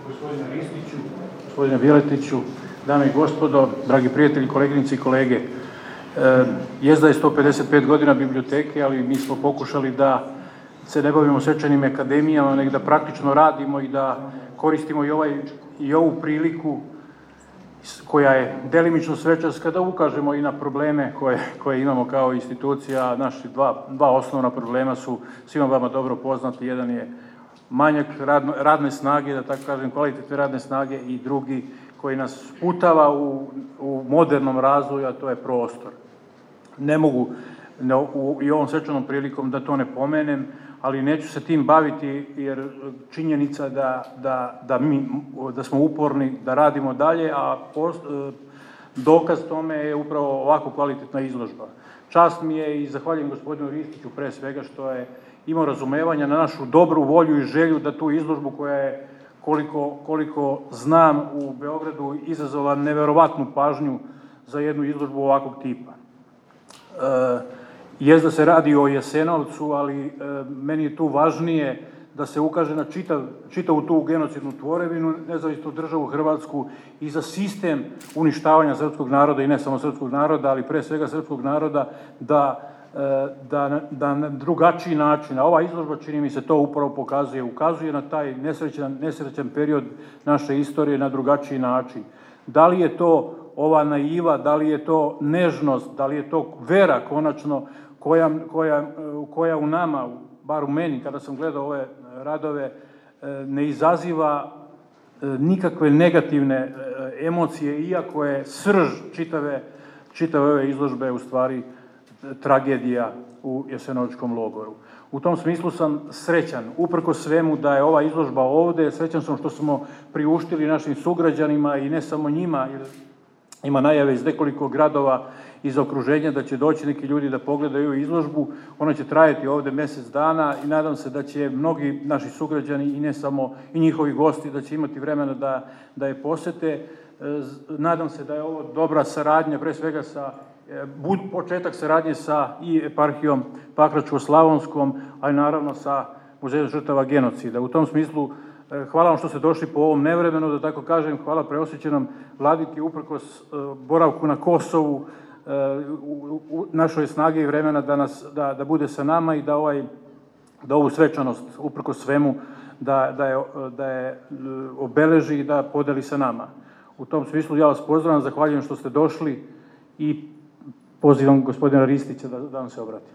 Gospodine Ristiću, gospodine Bjeletiću, dame i gospodo, dragi prijatelji, koleginice i kolege. Jezda je 155 godina biblioteke, ali mi smo pokušali da se ne bavimo svečanim akademijama, nego da praktično radimo i da koristimo i ovu priliku koja je delimično svečarska, da ukažemo i na probleme koje imamo kao institucija. Naši dva osnovna problema su svima vama dobro poznati. Jedan je manjak radne snage, da tako kažem, kvalitetne radne snage, i drugi koji nas sputava u modernom razvoju, a to je prostor. Ne mogu i ovom svečanom prilikom da to ne pomenem, ali neću se tim baviti, jer činjenica da smo uporni, da radimo dalje, a dokaz tome je upravo ovako kvalitetna izložba. Čast mi je i zahvaljujem gospodinu Ristiću pre svega što je imao razumevanja na našu dobru volju i želju da tu izložbu, koja je, koliko znam, u Beogradu izazvala neverovatnu pažnju za jednu izložbu ovakvog tipa. Jezda se radi o Jasenovcu, ali meni je tu važnije da se ukaže na čitavu tu genocidnu tvorevinu, nezavisnu državu Hrvatsku, i za sistem uništavanja srpskog naroda, i ne samo srpskog naroda, ali pre svega srpskog naroda, da na drugačiji način, a ova izložba, čini mi se, to upravo ukazuje na taj nesrećan period naše istorije na drugačiji način. Da li je to ova naiva, da li je to nežnost, da li je to vera konačno koja u nama, bar u meni, kada sam gledao ove radove, ne izaziva nikakve negativne emocije, iako je srž čitave ove izložbe u stvari tragedija u Jasenovačkom logoru. U tom smislu sam srećan, uprkos svemu, da je ova izložba ovde. Srećan sam što smo priuštili našim sugrađanima, i ne samo njima, jer ima najave iz nekoliko gradova iz okruženja da će doći neki ljudi da pogledaju izložbu. Ona će trajati ovde mesec dana i nadam se da će mnogi naši sugrađani, i ne samo, i njihovi gosti, da će imati vremena da je posete. Nadam se da je ovo dobra saradnja, pre svega početak saradnje sa i eparhijom Pakračko-slavonskom, a i naravno sa Muzejom žrtava genocida. U tom smislu, hvala vam što ste došli po ovom nevremenu, da tako kažem. Hvala preosvećenom vladiki, uprkos boravku na Kosovu, našoj snage i vremena da bude sa nama i da ovu svečanost, uprkos svemu, da je obeleži i da podeli sa nama. U tom smislu ja vas pozdravljam, zahvaljujem što ste došli i pozivam gospodina Ristića da vam se obrati.